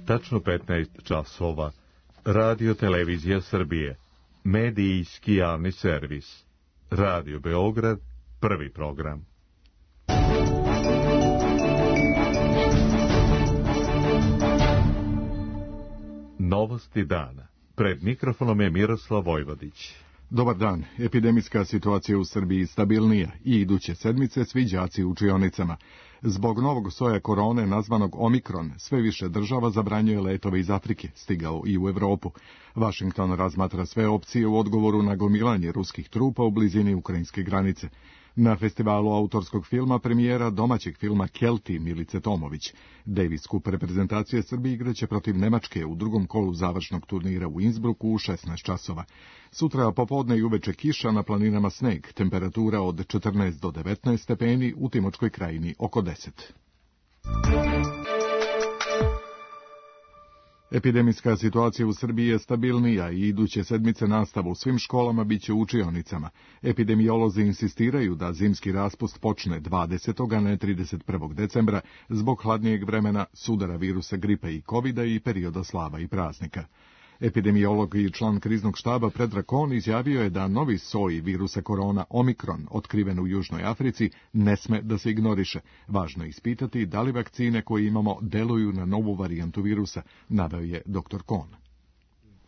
tačno 15 časova. Radio Televizija Srbije. Medijski javni servis. Radio Beograd, prvi program. Novosti dana. Pred mikrofonom je Miroslav Vojvodić. Dobar dan. Epidemijska situacija u Srbiji stabilnija i iduće sedmice svi đaci u učionicama. Zbog novog soja korone nazvanog Omikron, sve više država zabranjuje letove iz Afrike, stigao i u Evropu. Washington razmatra sve opcije u odgovoru na gomilanje ruskih trupa u blizini ukrajinske granice. Na festivalu autorskog filma premijera domaćeg filma Kelti Milice Tomović. Davis Cup reprezentacije Srbije igraće protiv Nemačke u drugom kolu završnog turnira u Innsbrucku u 16 časova. Sutra popodne i uveče kiša, na planinama sneg, temperatura od 14 do 19 stepeni, u Timočkoj krajini oko 10. Epidemijska situacija u Srbiji je stabilnija i iduće sedmice nastava u svim školama biće u učionicama. Epidemiolozi insistiraju da zimski raspust počne 20. a ne 31. decembra zbog hladnijeg vremena, sudara virusa gripe i covida i perioda slava i praznika. Epidemiolog i član kriznog štaba Predrag Kon izjavio je da novi soj virusa korona Omikron, otkriven u Južnoj Africi, ne sme da se ignoriše. Važno je ispitati da li vakcine koje imamo deluju na novu varijantu virusa, naveo je dr. Kon.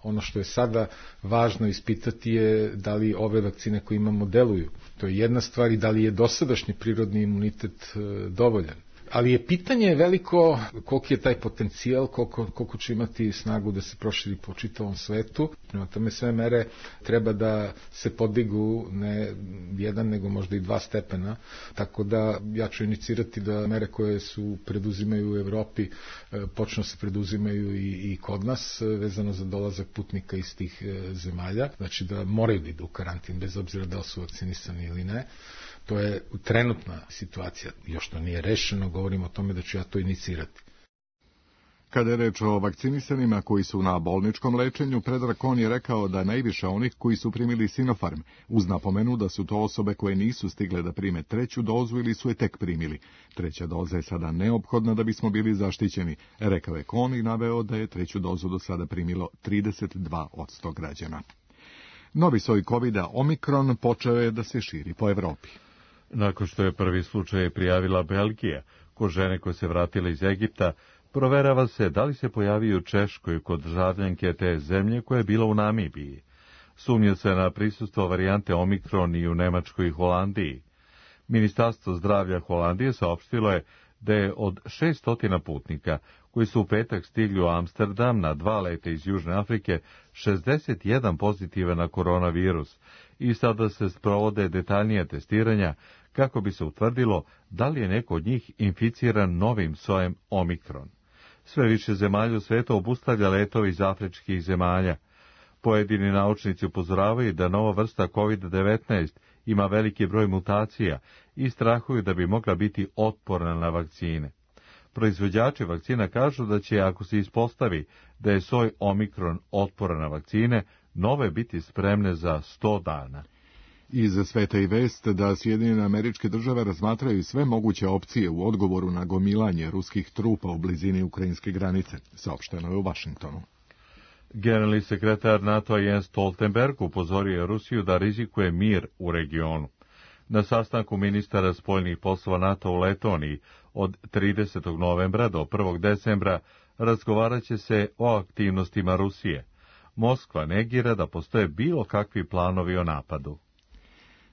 Ono što je sada važno ispitati je da li ove vakcine koje imamo deluju. To je jedna stvar, i da li je dosadašnji prirodni imunitet dovoljan. Ali je pitanje veliko koliki je taj potencijal, koliko će imati snagu da se proširi po čitavom svetu. Prema tome sve mere treba da se podigu ne jedan, nego možda i 2 stepena. Tako da ja ću inicirati da mere koje su preduzimaju u Evropi počnu se preduzimaju i kod nas, vezano za dolazak putnika iz tih zemalja. Znači da moraju da idu u karantin, bez obzira da li su vakcinisani ili ne. To je trenutna situacija, još to nije rešeno, govorimo o tome da ću ja to inicirati. Kada je reč o vakcinisanima koji su na bolničkom lečenju, Predrag Kon je rekao da najviše onih koji su primili Sinopharm, uz napomenu da su to osobe koje nisu stigle da prime 3. dozu ili su je tek primili. 3. doza je sada neophodna da bismo bili zaštićeni, rekao je Kon i naveo da je 3. dozu do sada primilo 32% građana. Novi soj covida Omikron počeo je da se širi po Evropi. Nakon što je prvi slučaj prijavila Belgija, kod žene koje se vratila iz Egipta, proverava se da li se pojavio u Češkoj kod državljanke te zemlje koja je bila u Namibiji. Sumnja se na prisustvo varijante Omikron i u Nemačkoj i Holandiji. Ministarstvo zdravlja Holandije saopštilo je da je od 600 putnika koji su u petak stigli u Amsterdam na 2 leta iz Južne Afrike, 61 pozitivan na koronavirus i sada se sprovode detaljnija testiranja kako bi se utvrdilo da li je neko od njih inficiran novim sojem Omikron. Sve više zemalja u svijetu obustavlja letove iz afričkih zemalja. Pojedini naučnici upozoravaju da nova vrsta COVID-19 ima veliki broj mutacija i strahuju da bi mogla biti otporna na vakcine. Proizvođači vakcina kažu da će, ako se ispostavi da je soj Omikron otporan na vakcine, nove biti spremne za 100 dana. Iz sveta i vest da Sjedinjene Američke Države razmatraju sve moguće opcije u odgovoru na gomilanje ruskih trupa u blizini ukrajinske granice, saopšteno je u Washingtonu. Generalni sekretar NATO Jens Stoltenberg upozorio je Rusiju da rizikuje mir u regionu. Na sastanku ministara spoljnih poslova NATO u Letoniji od 30. novembra do 1. decembra razgovarat će se o aktivnostima Rusije. Moskva negira da postoje bilo kakvi planovi o napadu.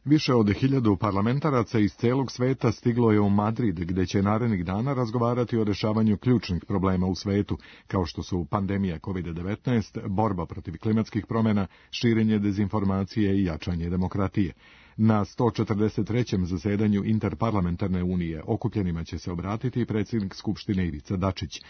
Više od 1000 parlamentaraca iz celog sveta stiglo je u Madrid, gde će narednih dana razgovarati o rešavanju ključnih problema u svetu, kao što su pandemija COVID-19, borba protiv klimatskih promjena, širenje dezinformacije i jačanje demokratije. Na 143. zasedanju Interparlamentarne unije okupljenima će se obratiti predsjednik Skupštine Ivica Dačić.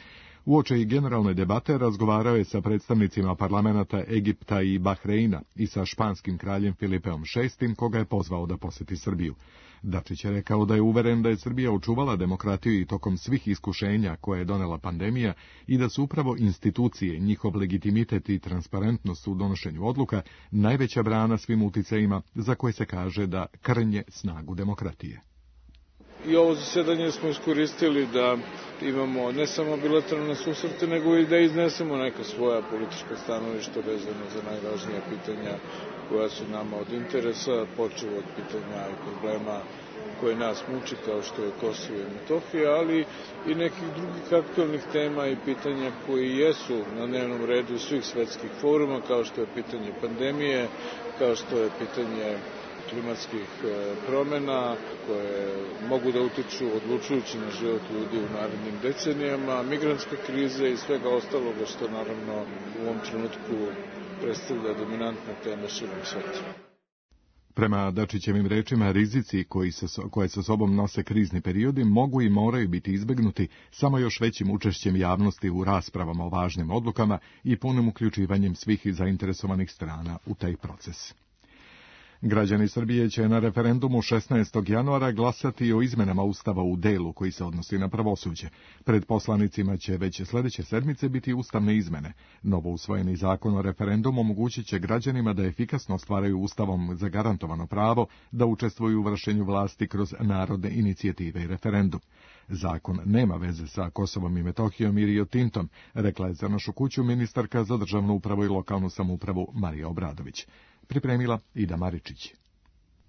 Uoči i generalne debate razgovarao je sa predstavnicima parlamenata Egipta i Bahreina i sa španskim kraljem Filipeom VI, koga je pozvao da poseti Srbiju. Dačić je rekao da je uveren da je Srbija očuvala demokratiju i tokom svih iskušenja koje je donela pandemija i da su upravo institucije, njihov legitimitet i transparentnost u donošenju odluka najveća brana svim uticajima za koje se kaže da krnje snagu demokratije. I ovo zasedanje smo iskoristili da imamo ne samo bilateralne susrete, nego i da iznesemo neka svoja politička stanovišta vezano za najvažnija pitanja koja su nama od interesa, počev od pitanja i problema koje nas muči, kao što je Kosovo i Metohija, ali i nekih drugih aktualnih tema i pitanja koji jesu na dnevnom redu svih svetskih foruma, kao što je pitanje pandemije, kao što je pitanje klimatskih promena koje mogu da utiču odlučujući na život ljudi u narednim decenijama, migrantska kriza i svega ostaloga što naravno u ovom trenutku predstavlja dominantna tema širom sveta. Prema Dačićevim rečima, rizici koje sa sobom nose krizni periodi mogu i moraju biti izbegnuti samo još većim učešćem javnosti u raspravama o važnim odlukama i punim uključivanjem svih zainteresovanih strana u taj proces. Građani Srbije će na referendumu 16. januara glasati o izmenama Ustava u delu koji se odnosi na pravosuđe. Pred poslanicima će već sljedeće sedmice biti ustavne izmene. Novo usvojeni zakon o referendumu omogućit će građanima da efikasno ostvaraju Ustavom zagarantovano pravo da učestvuju u vršenju vlasti kroz narodne inicijative i referendum. Zakon nema veze sa Kosovom i Metohijom i Rio Tintom, rekla je za Našu kuću ministarka za državnu upravu i lokalnu samoupravu Marija Obradović. Pripremila Ida Maričić.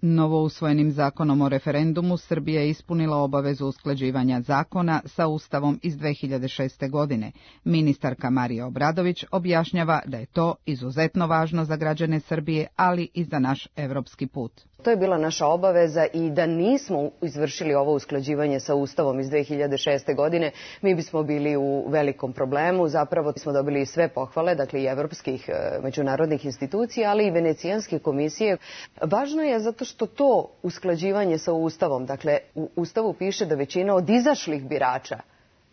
Novo usvojenim zakonom o referendumu Srbija je ispunila obavezu usklađivanja zakona sa Ustavom iz 2006. godine. Ministarka Marija Obradović objašnjava da je to izuzetno važno za građane Srbije, ali i za naš evropski put. To je bila naša obaveza i da nismo izvršili ovo usklađivanje sa Ustavom iz 2006. godine, mi bismo bili u velikom problemu. Zapravo smo dobili sve pohvale, dakle i evropskih međunarodnih institucija, ali i Venecijanske komisije. Važno je zato što to usklađivanje sa Ustavom, dakle u Ustavu piše da većina od izašlih birača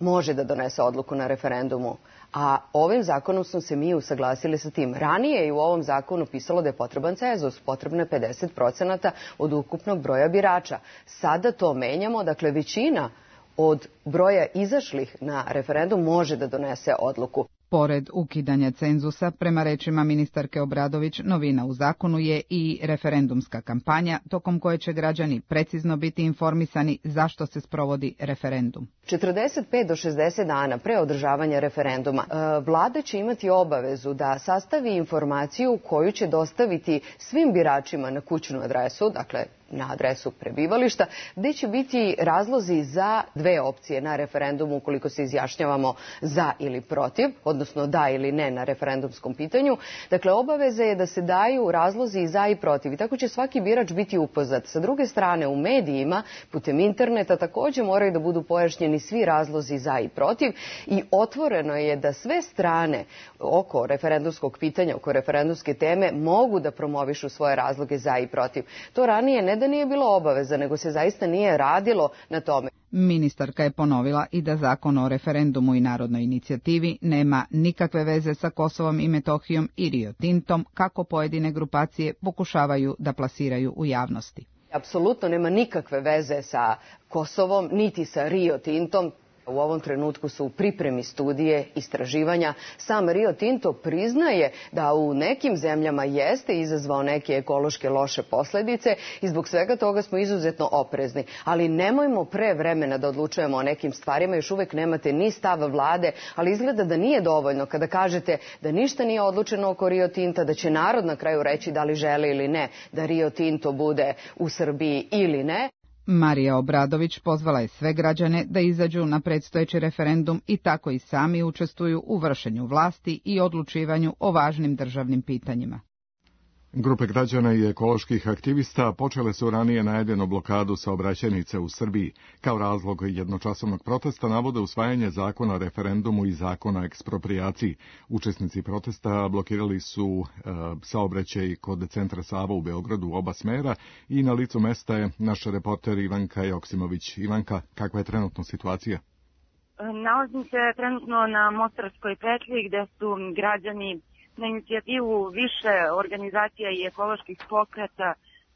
može da donese odluku na referendumu. A ovim zakonom smo se mi usaglasili sa tim. Ranije je u ovom zakonu pisalo da je potreban cenzus, potrebno je 50% od ukupnog broja birača. Sada to menjamo, dakle većina od broja izašlih na referendum može da donese odluku. Pored ukidanja cenzusa, prema rečima ministarke Obradović, novina u zakonu je i referendumska kampanja, tokom koje će građani precizno biti informisani zašto se sprovodi referendum. 45 do 60 dana pre održavanja referenduma vlada će imati obavezu da sastavi informaciju koju će dostaviti svim biračima na kućnu adresu, dakle na adresu prebivališta, gde će biti razlozi za dve opcije na referendumu ukoliko se izjašnjavamo za ili protiv, odnosno da ili ne na referendumskom pitanju. Dakle, obaveza je da se daju razlozi za i protiv i tako će svaki birač biti upoznat. Sa druge strane, u medijima, putem interneta, također moraju da budu pojašnjeni svi razlozi za i protiv i otvoreno je da sve strane oko referendumskog pitanja, oko referendumske teme mogu da promovišu svoje razloge za i protiv. To ranije ne da nije bilo obaveza, nego se zaista nije radilo na tome. Ministarka je ponovila i da zakon o referendumu i narodnoj inicijativi nema nikakve veze sa Kosovom i Metohijom i Rio Tintom, kako pojedine grupacije pokušavaju da plasiraju u javnosti. Apsolutno nema nikakve veze sa Kosovom, niti sa Rio Tintom. U ovom trenutku su u pripremi studije, istraživanja. Sam Rio Tinto priznaje da u nekim zemljama jeste izazvao neke ekološke loše posljedice i zbog svega toga smo izuzetno oprezni. Ali nemojmo pre vremena da odlučujemo o nekim stvarima, još uvek nemate ni stav vlade, ali izgleda da nije dovoljno kada kažete da ništa nije odlučeno oko Rio Tinta, da će narod na kraju reći da li žele ili ne da Rio Tinto bude u Srbiji ili ne. Marija Obradović pozvala je sve građane da izađu na predstojeći referendum i tako i sami učestvuju u vršenju vlasti i odlučivanju o važnim državnim pitanjima. Grupe građana i ekoloških aktivista počele su ranije najavljenu blokadu saobraćajnice u Srbiji. Kao razlog jednočasovnog protesta navode usvajanje zakona o referendumu i zakona o eksproprijaciji. Učesnici protesta blokirali su saobraćaj kod centra Sava u Beogradu u oba smera i na licu mesta je naš reporter Ivanka Joksimović. Ivanka, kakva je trenutno situacija? Nalazim se trenutno na Mostarskoj petlji gde su građani na inicijativu više organizacija i ekoloških pokreta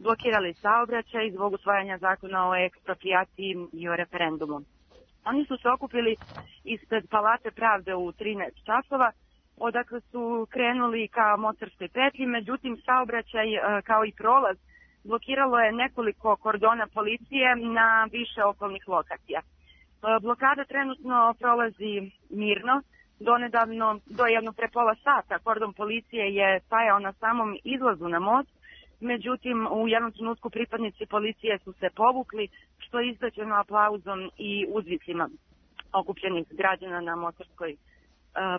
blokirali saobraćaj zbog usvajanja zakona o eksproprijaciji i o referendumu. Oni su se okupili ispred Palate pravde u 13 časova, odakle su krenuli ka Mostarskoj petlji, međutim saobraćaj kao i prolaz blokiralo je nekoliko kordona policije na više okolnih lokacija. Blokada trenutno prolazi mirno. Donedavno, do jedno pre pola sata, kordon policije je stajao na samom izlazu na most. Međutim, u jednom trenutku pripadnici policije su se povukli, što je izdaćeno aplauzom i uzvicima okupljenih građana na Mostarskoj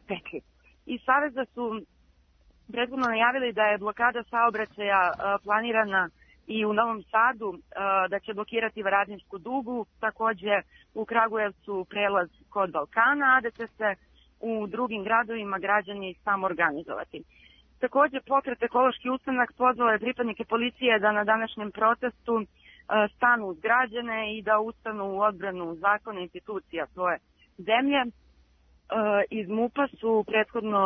petlji. Iz Saveza su prethodno najavili da je blokada saobraćaja planirana i u Novom Sadu, da će blokirati Varadničku dugu, takođe u Kragujevcu prelaz kod Balkana, a da će se u drugim gradovima građani samoorganizovati. Takođe, pokret Ekološki ustanak pozvao je pripadnike policije da na današnjem protestu stanu uz građane i da ustanu u odbranu zakona i institucija svoje zemlje. Iz MUP-a su prethodno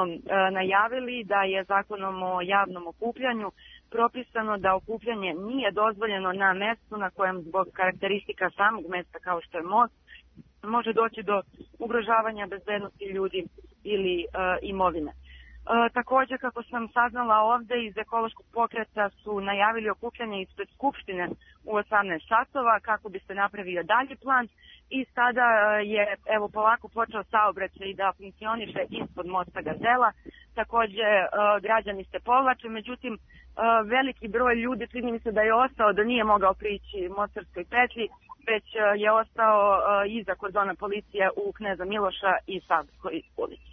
najavili da je zakonom o javnom okupljanju propisano da okupljanje nije dozvoljeno na mestu na kojem zbog karakteristika samog mesta kao što je most može doći do ugrožavanja bezbednosti ljudi ili imovine. Takođe, kako sam saznala ovde, iz ekološkog pokreta su najavili okupljanje ispred Skupštine u 18 časova kako bi se napravio dalji plan i sada je polako počeo saobraćaj da funkcioniše ispod mosta Gazela. Takođe, građani se povlače, međutim, veliki broj ljudi čini mi se da je ostao, da nije mogao prići Mostarskoj petlji, već je ostao iza kordona policije u Kneza Miloša i Savskoj ulici.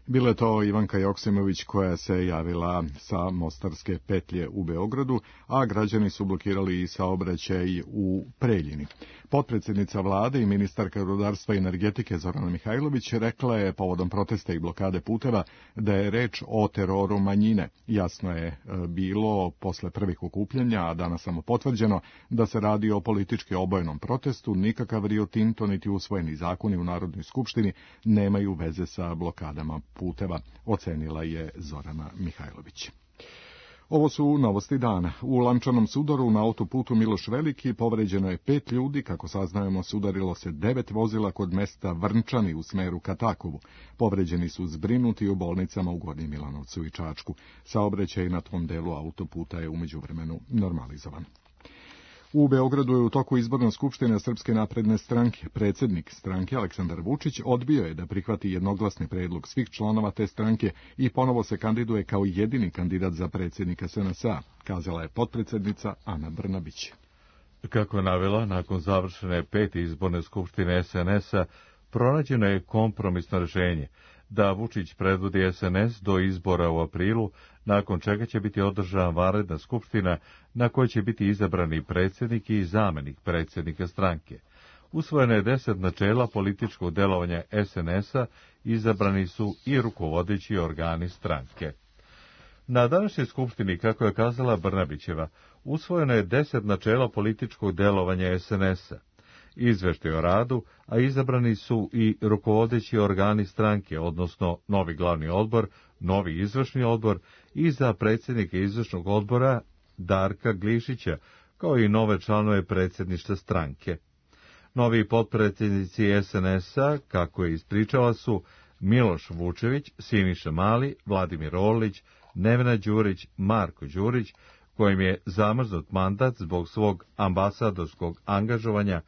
Bila je to Ivanka Joksimović koja se javila sa Mostarske petlje u Beogradu, a građani su blokirali i saobraćaj u Preljini. Potpredsjednica vlade i ministarka rudarstva i energetike Zorana Mihajlović rekla je povodom protesta i blokade puteva da je reč o teroru manjine. Jasno je bilo posle prvih okupljanja, a danas samo potvrđeno, da se radi o politički obojenom protestu. Nikakav Rio Tinto niti usvojeni zakoni u Narodnoj skupštini nemaju veze sa blokadama puteva, ocenila je Zorana Mihajlović. Ovo su novosti dana. U lančanom sudaru na autoputu Miloš Veliki povređeno je 5 ljudi, kako saznajemo sudarilo se 9 vozila kod mesta Vrnčani u smeru ka Takovu. Povređeni su zbrinuti u bolnicama u Gornjem Milanovcu i Čačku. Saobraćaj na tom delu autoputa je umeđu vremenu normalizovan. U Beogradu je u toku izborne skupštine Srpske napredne stranke. Predsjednik stranke Aleksandar Vučić odbio je da prihvati jednoglasni predlog svih članova te stranke i ponovo se kandiduje kao jedini kandidat za predsjednika SNS-a, kazala je potpredsjednica Ana Brnabić. Kako je navela, nakon završene 5. izborne skupštine SNS-a pronađeno je kompromisno rješenje da Vučić predvodi SNS do izbora u aprilu, nakon čega će biti održana vanredna skupština na kojoj će biti izabrani predsjednik i zamenik predsjednika stranke. Usvojeno je 10 načela političkog delovanja SNS-a, izabrani su i rukovodeći organi stranke. Na današnjoj skupštini, kako je kazala Brnabićeva, usvojeno je 10 načela političkog delovanja SNS-a. Izveštaj o radu, a izabrani su i rukovodeći organi stranke, odnosno novi glavni odbor, novi izvršni odbor i za predsjednike izvršnog odbora Darka Glišića, kao i nove članove predsjedništva stranke. Novi potpredsjednici SNS-a, kako je ispričala, su Miloš Vučević, Siniša Mali, Vladimir Orlić, Nevena Đurić, Marko Đurić, kojim je zamrznut mandat zbog svog ambasadorskog angažovanja,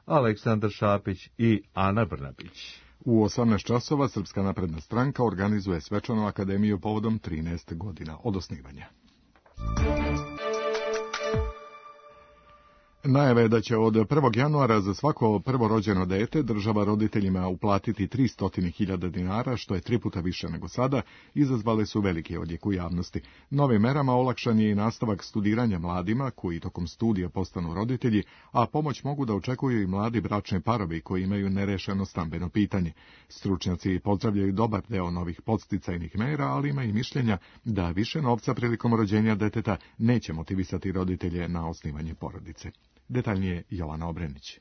Aleksandar Šapić i Ana Brnabić. U 18 časova Srpska napredna stranka organizuje svečanu akademiju povodom 13 godina od osnivanja. Najave je da će od 1. januara za svako prvorođeno dete država roditeljima uplatiti 300.000 dinara, što je 3 puta više nego sada, izazvale su veliki odjek u javnosti. Novim merama olakšan je i nastavak studiranja mladima koji tokom studija postanu roditelji, a pomoć mogu da očekuju i mladi bračni parovi koji imaju nerešeno stambeno pitanje. Stručnjaci pozdravljaju dobar deo novih podsticajnih mera, ali ima i mišljenja da više novca prilikom rođenja deteta neće motivisati roditelje na osnivanje porodice. Detaljnije Jovana Obrenić.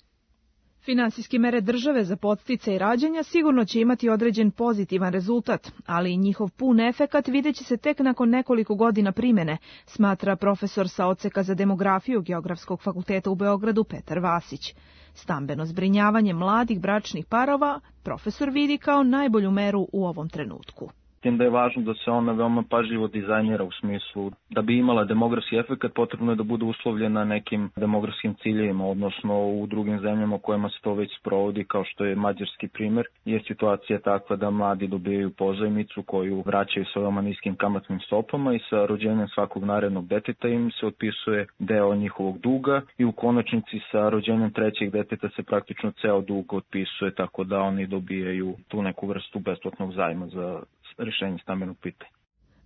Finansijske mere države za podsticaj rađanja sigurno će imati određen pozitivan rezultat, ali i njihov pun efekat videće se tek nakon nekoliko godina primene, smatra profesor sa odseka za demografiju Geografskog fakulteta u Beogradu Petar Vasić. Stambeno zbrinjavanje mladih bračnih parova profesor vidi kao najbolju meru u ovom trenutku. tim da je važno da se ona veoma pažljivo dizajnira u smislu da bi imala demografski efekt, potrebno je da bude uslovljena nekim demografskim ciljevima, odnosno u drugim zemljama u kojima se to već sprovodi, kao što je mađarski primer, je situacija takva da mladi dobijaju pozajmicu koju vraćaju sa veoma niskim kamatnim stopama i sa rođenjem svakog narednog deteta im se otpisuje deo njihovog duga i u konačnici sa rođenjem trećeg deteta se praktično ceo dug otpisuje, tako da oni dobijaju tu neku vrstu besplatnog zajma za rešenje stambenog pitanja.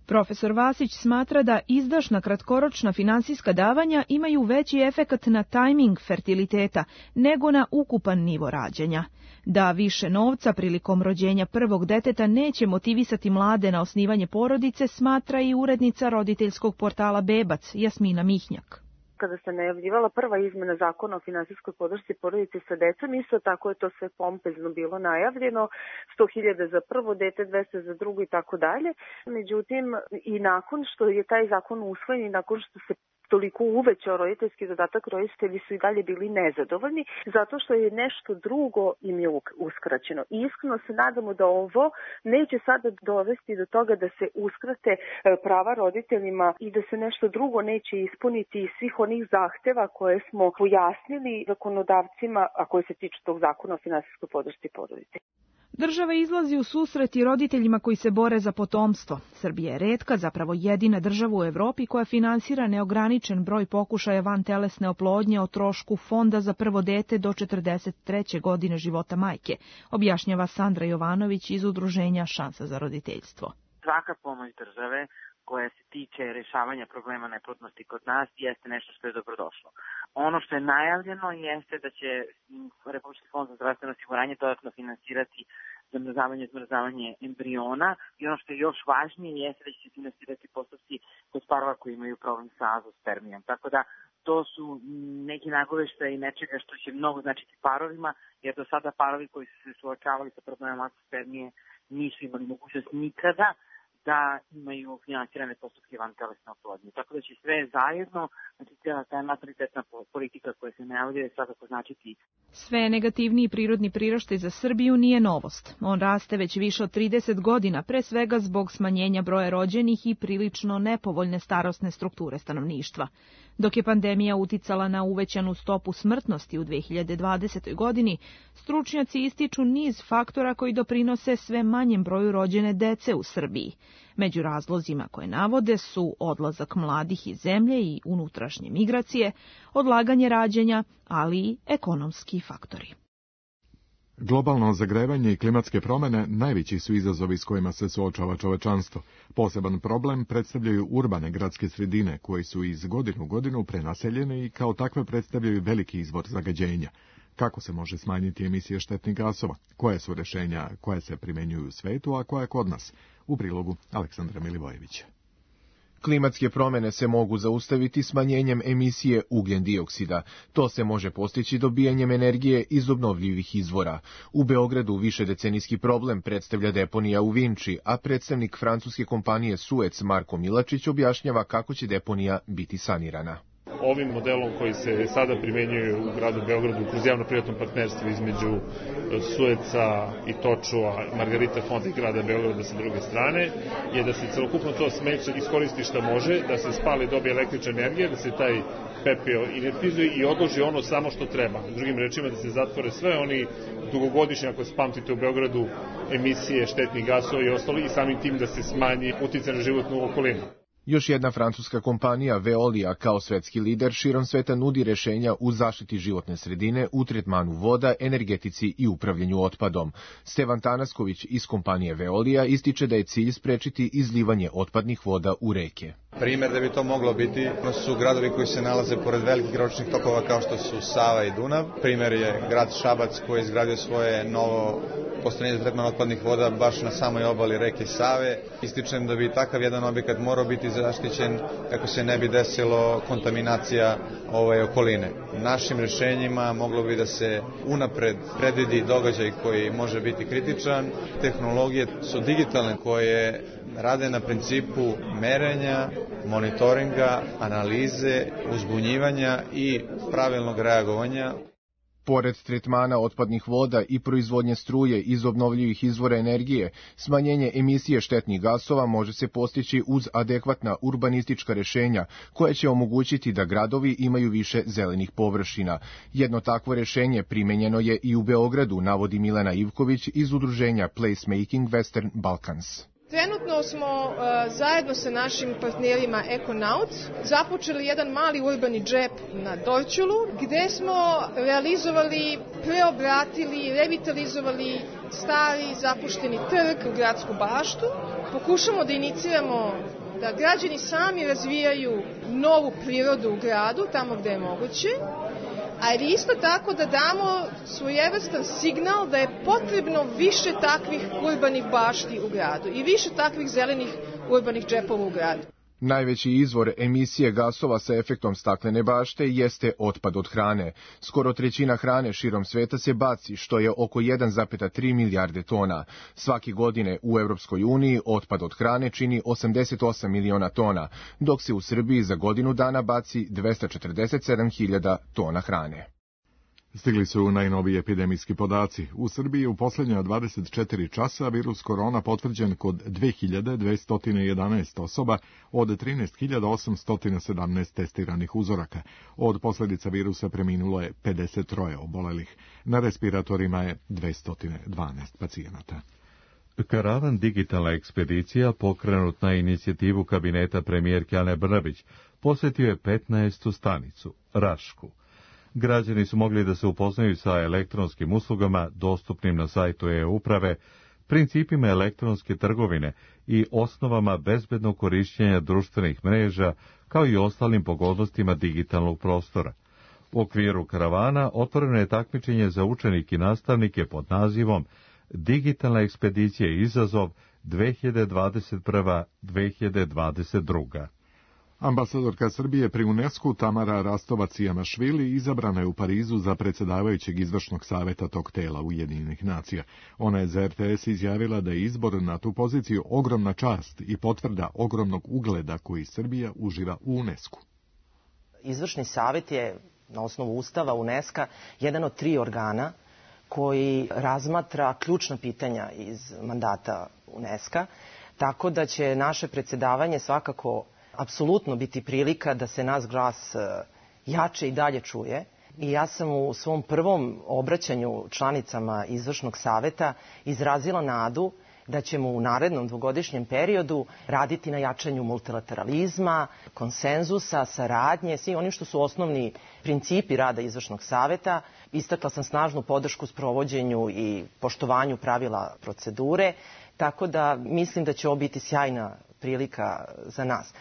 Profesor Vasić smatra da izdašna kratkoročna finansijska davanja imaju veći efekat na tajming fertiliteta nego na ukupan nivo rađanja. Da više novca prilikom rođenja prvog deteta neće motivisati mlade na osnivanje porodice, smatra i urednica roditeljskog portala Bebac, Jasmina Mihnjak. Kada se najavljivala prva izmena zakona o finansijskoj podršci porodici sa decom, isto tako je to sve pompezno bilo najavljeno, 100.000 za prvo dete, 200 za drugo i tako dalje. Međutim, i nakon što je taj zakon usvojen i nakon što se toliko uvećao roditeljski dodatak, roditelji su i dalje bili nezadovoljni, zato što je nešto drugo im je uskraćeno. I iskreno se nadamo da ovo neće sada dovesti do toga da se uskrate prava roditeljima i da se nešto drugo neće ispuniti iz svih onih zahteva koje smo pojasnili zakonodavcima, a koje se tiču tog zakona o finansijskoj podršci porodici. Država izlazi u susret i roditeljima koji se bore za potomstvo. Srbija je retka, zapravo jedina država u Evropi koja finansira neograničen broj pokušaja vantelesne oplodnje o trošku fonda za prvo dete do 43. godine života majke, objašnjava Sandra Jovanović iz udruženja Šansa za roditeljstvo. Svaka pomoć države koja se tiče rešavanja problema neplodnosti kod nas jeste nešto što je dobrodošlo. Ono što je najavljeno jeste da će Republički fond za zdravstveno osiguranje dodatno finansirati zamrzavanje i odmrzavanje embriona i ono što je još važnije jeste da će se finansirati postupci kod parova koji imaju problem sa azospermijom. Tako da to su neki nagoveštaji nečega što će mnogo značiti parovima, jer do sada parovi koji su se suočavali sa problemom azospermije nisu imali mogućnost nikada da imaju finansirane postupke vantelesne oplodnje. Tako da će sve zajedno, znači cijela ta natalitetna politika koja se najavljuje svakako značiti. Sve negativniji prirodni priraštaj za Srbiju nije novost. On raste već više od 30 godina, pre svega zbog smanjenja broja rođenih i prilično nepovoljne starosne strukture stanovništva. Dok je pandemija uticala na uvećanu stopu smrtnosti u 2020. godini, stručnjaci ističu niz faktora koji doprinose sve manjem broju rođene dece u Srbiji. Među razlozima koje navode su odlazak mladih iz zemlje i unutrašnje migracije, odlaganje rađanja, ali i ekonomski faktori. Globalno zagrevanje i klimatske promjene najveći su izazovi s kojima se suočava čovečanstvo. Poseban problem predstavljaju urbane gradske sredine, koje su iz godine u godinu prenaseljene i kao takve predstavljaju veliki izvor zagađenja. Kako se može smanjiti emisije štetnih gasova? Koje su rješenja koja se primjenjuju u svetu, a koja kod nas? U prilogu Aleksandra Milivojevića. Klimatske promjene se mogu zaustaviti smanjenjem emisije ugljen dioksida. To se može postići dobijanjem energije iz obnovljivih izvora. U Beogradu višedecenijski problem predstavlja deponija u Vinči, a predstavnik francuske kompanije Suez Marko Milačić objašnjava kako će deponija biti sanirana. Ovim modelom koji se sada primenjuje u gradu Beogradu kroz javno-privatno partnerstvo između Sueca i Točua, Margarita fonda i grada Beograda sa druge strane, je da se celokupno to smeće iskoristi šta može, da se spali, dobije električna energija, da se taj pepeo inertizuje i odloži ono samo što treba. Drugim rečima, da se zatvore sve oni dugogodišnji, ako se pamtite u Beogradu, emisije štetnih gasova i ostalo, i samim tim da se smanji uticaj na životnu okolinu. Još jedna francuska kompanija Veolia kao svetski lider širom sveta nudi rješenja u zaštiti životne sredine, u tretmanu voda, energetici i upravljanju otpadom. Stevan Tanasković iz kompanije Veolia ističe da je cilj sprečiti izlivanje otpadnih voda u reke. Primjer da bi to moglo biti su gradovi koji se nalaze pored velikih ročnih tokova kao što su Sava i Dunav. Primjer je grad Šabac koji je izgradio svoje novo postrojenje za tretman otpadnih voda baš na samoj obali reke Save. Ističem da bi takav jedan objekat morao biti zaštićen kako se ne bi desilo kontaminacija okoline. Našim rješenjima moglo bi da se unapred predvidi događaj koji može biti kritičan. Tehnologije su digitalne koje rade na principu merenja, monitoringa, analize, uzbunjivanja i pravilnog reagovanja. Pored tretmana otpadnih voda i proizvodnje struje iz obnovljivih izvora energije, smanjenje emisije štetnih gasova može se postići uz adekvatna urbanistička rešenja koja će omogućiti da gradovi imaju više zelenih površina. Jedno takvo rešenje primenjeno je i u Beogradu, navodi Milena Ivković iz udruženja Placemaking Western Balkans. Trenutno smo zajedno sa našim partnerima Econauts započeli jedan mali urbani džep na Dorćolu, gde smo realizovali, preobratili, revitalizovali stari zapušteni trg u gradsku baštu. Pokušamo da iniciramo da građani sami razvijaju novu prirodu u gradu, tamo gde je moguće, ali isto tako da damo svojevrstan signal da je potrebno više takvih urbanih bašti u gradu i više takvih zelenih urbanih džepova u gradu. Najveći izvor emisije gasova sa efektom staklene bašte jeste otpad od hrane. Skoro trećina hrane širom sveta se baci, što je oko 1,3 milijarde tona. Svake godine u Evropskoj uniji otpad od hrane čini 88 miliona tona, dok se u Srbiji za godinu dana baci 247.000 tona hrane. Stigli su najnoviji epidemijski podaci. U Srbiji u posljednja 24 časa virus korona potvrđen kod 2211 osoba od 13.817 testiranih uzoraka. Od posljedica virusa preminulo je 53 obolelih. Na respiratorima je 212 pacijenata. Karavan digitalna ekspedicija, pokrenut na inicijativu kabineta premijerke Ane Brnabić, posjetio je 15. stanicu, Rašku. Građani su mogli da se upoznaju sa elektronskim uslugama dostupnim na sajtu e-uprave, principima elektronske trgovine i osnovama bezbednog korišćenja društvenih mreža, kao i ostalim pogodnostima digitalnog prostora. U okviru karavana otvoreno je takmičenje za učenike i nastavnike pod nazivom Digitalna ekspedicija izazov 2021-2022. Ambasadorka Srbije pri UNESCO Tamara Rastovac-Jamašvili izabrana je u Parizu za predsjedavajućeg izvršnog saveta tog tela Ujedinjenih nacija. Ona je za RTS izjavila da je izbor na tu poziciju ogromna čast i potvrda ogromnog ugleda koji Srbija uživa u UNESCO. Izvršni savet je na osnovu Ustava UNESCO jedan od 3 organa koji razmatra ključna pitanja iz mandata UNESCO, tako da će naše predsjedavanje svakako apsolutno biti prilika da se naš glas jače i dalje čuje. I ja sam u svom prvom obraćanju članicama izvršnog saveta izrazila nadu da ćemo u narednom dvogodišnjem periodu raditi na jačanju multilateralizma, konsenzusa, saradnje, svi oni što su osnovni principi rada izvršnog saveta. Istakla sam snažnu podršku sprovođenju i poštovanju pravila procedure, tako da mislim da će ovo biti sjajna prilika za nas.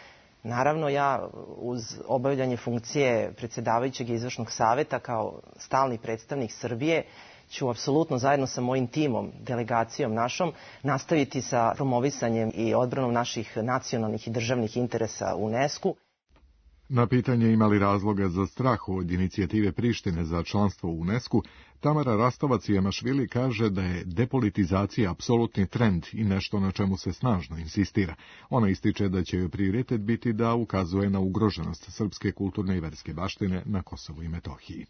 Naravno, ja uz obavljanje funkcije predsjedavajućeg izvršnog saveta kao stalni predstavnik Srbije ću apsolutno zajedno sa mojim timom, delegacijom našom, nastaviti sa promovisanjem i odbranom naših nacionalnih i državnih interesa u UNESCO-u. Na pitanje imali razloga za strah od inicijative Prištine za članstvo u UNESCO, Tamara Rastovac-Jamašvili kaže da je depolitizacija apsolutni trend i nešto na čemu se snažno insistira. Ona ističe da će joj prioritet biti da ukazuje na ugroženost srpske kulturne i verske baštine na Kosovu i Metohiji.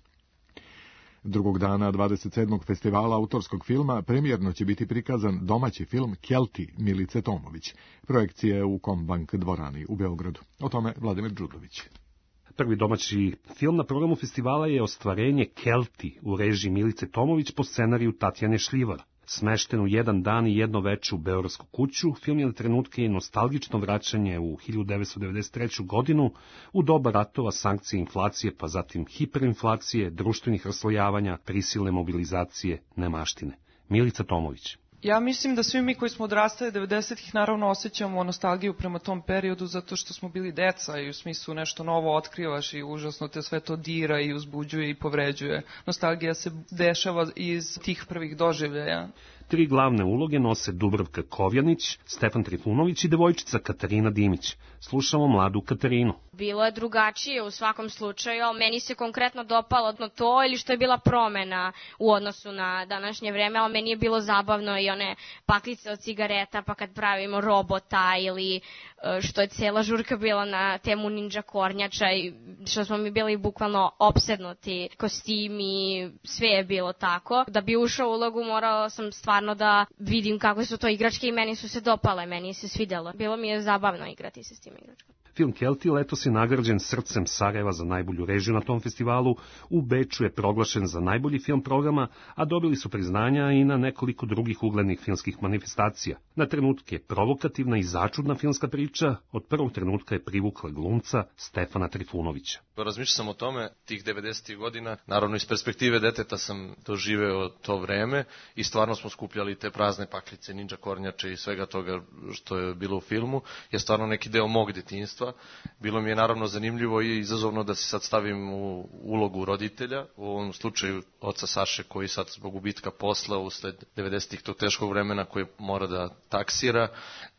Drugog dana 27. festivala autorskog filma premijerno će biti prikazan domaći film Kelti Milice Tomović. Projekcija je u Kombank dvorani u Beogradu. O tome Vladimir Đudović. Prvi domaći film na programu festivala je Ostvarenje Kelti u režiji Milice Tomović po scenariju Tatjane Šljivar. Smešten u jedan dan i jedno veče u Beogradsku kuću, film je na trenutke i nostalgično vraćanje u 1993. godinu, u doba ratova, sankcije, inflacije, pa zatim hiperinflacije, društvenih raslojavanja, prisilne mobilizacije, nemaštine. Milica Tomović. Ja mislim da svi mi koji smo odrastali 90-ih naravno osjećamo nostalgiju prema tom periodu zato što smo bili deca i u smislu nešto novo otkrivaš i užasno te sve to dira i uzbuđuje i povređuje. Nostalgija se dešava iz tih prvih doživljaja. 3 glavne uloge nose Dubravka Kovjanić, Stefan Trifunović i devojčica Katarina Dimić. Slušamo mladu Katarinu. Bilo je drugačije u svakom slučaju, ali meni se konkretno dopalo to ili što je bila promena u odnosu na današnje vreme, ali meni je bilo zabavno i one paklice od cigareta, pa kad pravimo robota ili što je cela žurka bila na temu ninja kornjača i što smo mi bili bukvalno opsednuti, kostimi, sve je bilo tako. Da bi ušao u ulogu morala sam stvarno da vidim kako su to igračke i meni su se dopale, meni se svidelo. Bilo mi je zabavno igrati se s tim igračkama. Film Kelti letos je nagrađen Srcem Sarajeva za najbolju režiju na tom festivalu, u Beču je proglašen za najbolji film programa, a dobili su priznanja i na nekoliko drugih uglednih filmskih manifestacija. Na trenutke provokativna i začudna filmska priča od prvog trenutka je privukla glumca Stefana Trifunovića. Razmišljao sam o tome tih 90. godina, naravno iz perspektive deteta sam doživeo to vreme i stvarno smo skupljali te prazne paklice, ninja kornjače i svega toga što je bilo u filmu, je stvarno neki deo mog detinjstva. Bilo mi je naravno zanimljivo i izazovno da se sad stavim u ulogu roditelja, u ovom slučaju oca Saše koji sad zbog gubitka posla usled 90-ih tog teškog vremena koji mora da taksira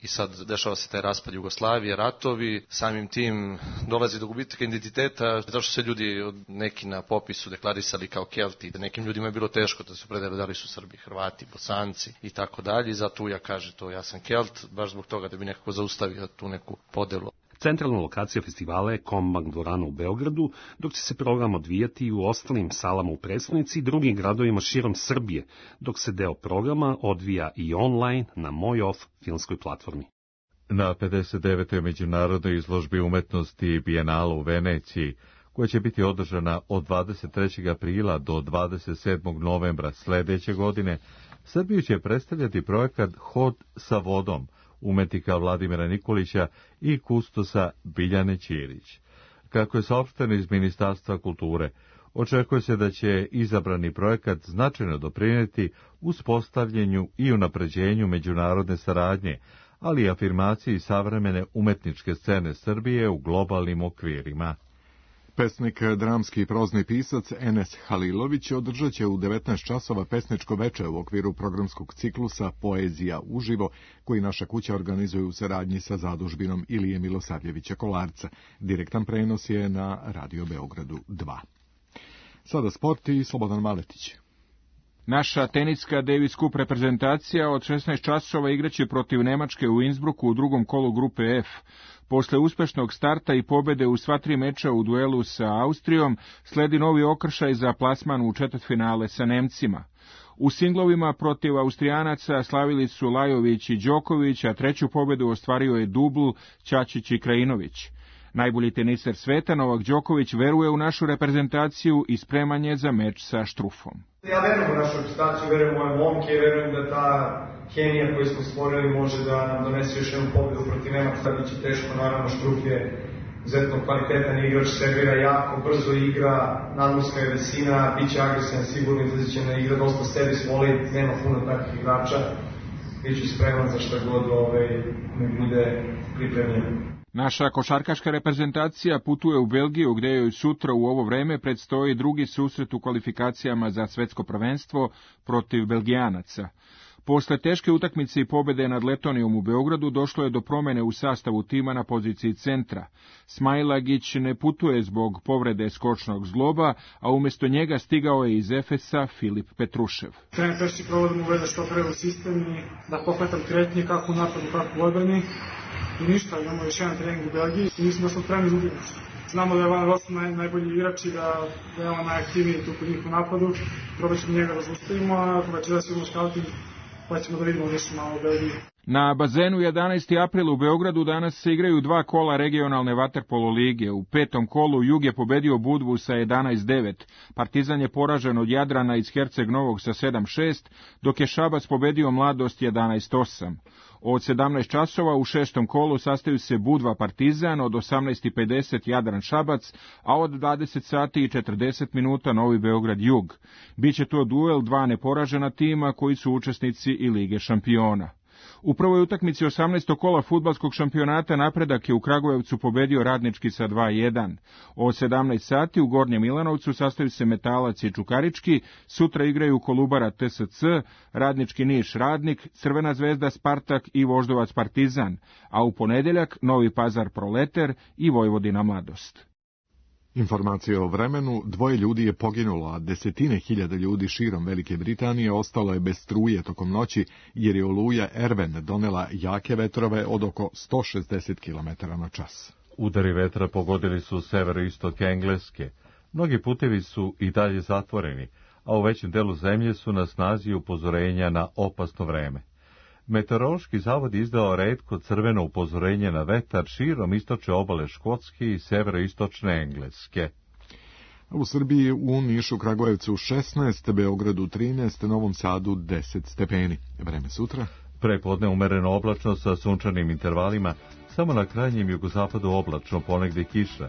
i sad dešava se taj raspad Jugoslavije, ratovi, samim tim dolazi do gubitka identiteta, zato što se ljudi neki na popisu deklarisali kao Kelti, da nekim ljudima je bilo teško da se opredele da li su Srbi, Hrvati, Bosanci i tako dalje, i zato ja kaže to ja sam Kelt, baš zbog toga da bi nekako zaustavio tu neku podelu. Centralna lokacija festivala je Kombank dvorana u Beogradu, dok će se program odvijati i u ostalim salama u prestonici i drugim gradovima širom Srbije, dok se deo programa odvija i online na Moj Off filmskoj platformi. Na 59. međunarodnoj izložbi umetnosti Bijenala u Veneciji, koja će biti održana od 23. aprila do 27. novembra sledeće godine, Srbiju će predstavljati projekat Hod sa vodom, umetnika Vladimira Nikolića i kustosa Biljane Ćirić. Kako je saopšteno iz Ministarstva kulture, očekuje se da će izabrani projekat značajno doprineti uspostavljenju i unapređenju međunarodne saradnje, ali i afirmaciji savremene umetničke scene Srbije u globalnim okvirima. Pesnik, dramski i prozni pisac Enes Halilović održat će u 19 časova pesničko veče u okviru programskog ciklusa Poezija uživo, koji naša kuća organizuje u saradnji sa zadužbinom Ilije Milosavljevića Kolarca. Direktan prenos je na Radio Beogradu 2. Sada sport i Slobodan Maletić. Naša teniska Davis Cup reprezentacija od 16 časova igraće protiv Nemačke u Innsbrucku u drugom kolu grupe F. Posle uspešnog starta i pobede u sva 3 meča u duelu sa Austrijom, sledi novi okršaj za plasman u četvrtfinale sa Nemcima. U singlovima protiv Austrijanaca slavili su Lajović i Đoković, a treću pobedu ostvario je dubl Ćačić i Krajinović. Najbolji teniser sveta, Novak Đoković, veruje u našu reprezentaciju i spreman je za meč sa Štrufom. Ja verujem u našu reprezentaciju, verujem u moje momke i verujem da ta hemija koju smo stvorili može da nam donese još jednu pobedu protiv Nemaca. Biće teško, naravno Štruf je izuzetno kvalitetan igrač, servira jako, brzo igra, nadmorska je visina, biće agresivan, sigurno izlaziće na igra, dosta sebi svoli, nema puno takvih igrača. Biću spreman za šta god ne bude pripremljen. Naša košarkaška reprezentacija putuje u Belgiju, gde joj sutra u ovo vreme predstoji drugi susret u kvalifikacijama za svetsko prvenstvo protiv Belgijanaca. Posle teške utakmice i pobede nad Letonijom u Beogradu došlo je do promene u sastavu tima na poziciji centra. Smailagić ne putuje zbog povrede skočnog zgloba, a umjesto njega stigao je iz Efesa Filip Petrušev. Trener Pešić provodom uvede što pre u sistem i da pokretam kretnje kako u napadu, kako u odbrani. I ništa, imamo još jedan trening u Belgiji i mislim da smo spremni za utakmicu. Znamo da je Van Rossum najbolji igrač i da je on najaktivniji tu kod njih u napadu. Probat ćemo njega da zaustavimo, a večera sigurno scouting, pa ćemo da vidimo nešto malo u Belgiji. Na bazenu 11. april u Beogradu danas se igraju 2 kola regionalne vaterpolo lige. U 5. kolu Jug je pobedio Budvu sa 11-9. Partizan je poražen od Jadrana iz Herceg Novog sa 7-6, dok je Šabac pobedio Mladost 11-8. Od 17 časova u 6. kolu sastaju se Budva Partizan, od 18:50 Jadran Šabac, a od 20 sati i 40 minuta Novi Beograd Jug. Biće to duel 2 neporažena tima koji su učesnici i Lige šampiona. U prvoj utakmici 18. kola fudbalskog šampionata Napredak je u Kragujevcu pobedio Radnički sa 2:1. O 17 sati u Gornjem Milanovcu sastaju se Metalac i Čukarički, sutra igraju Kolubara TSC, Radnički Niš Radnik, Crvena zvezda Spartak i Voždovac Partizan, a u ponedeljak Novi Pazar Proleter i Vojvodina Mladost. Informacije o vremenu: 2 ljudi je poginulo, a desetine hiljada ljudi širom Velike Britanije ostalo je bez struje tokom noći, jer je oluja Erven donela jake vetrove od oko 160 km/h. Udari vetra pogodili su severoistok Engleske. Mnogi putevi su i dalje zatvoreni, a u većem delu zemlje su na snazi upozorenja na opasno vreme. Meteorološki zavod je izdao retko crveno upozorenje na vetar širom istočne obale Škotske i severoistočne Engleske. U Srbiji u Nišu, Kragujevcu 16, Beogradu 13, Novom Sadu 10 stepeni. Vreme sutra? Prepodne umereno oblačno sa sunčanim intervalima, samo na krajnjem jugozapadu oblačno, ponegde kiša.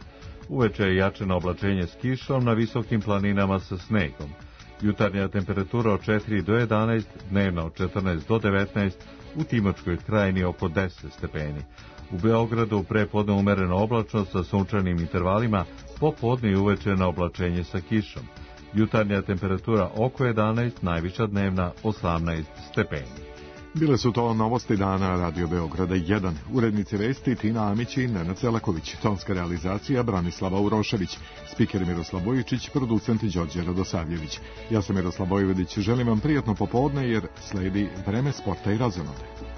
Uveče je jačeno oblačenje s kišom, na visokim planinama sa snegom. Jutarnja temperatura od 4 do 11, dnevna od 14 do 19, u Timočkoj krajini oko 10 stepeni. U Beogradu prepodne umereno oblačno sa sunčanim intervalima, popodne i uveče na oblačenje sa kišom. Jutarnja temperatura oko 11, najviša dnevna 18 stepeni. Bile su to novosti dana Radio Beograda 1. Urednici vesti Tina Amić i Nenad Selaković. Tonska realizacija Branislava Urošević. Spiker Miroslav Bojičić, producent Đorđe Radosavljević. Ja sam Miroslav Bojevedić, želim vam prijatno popodne jer sledi vreme sporta i razonode.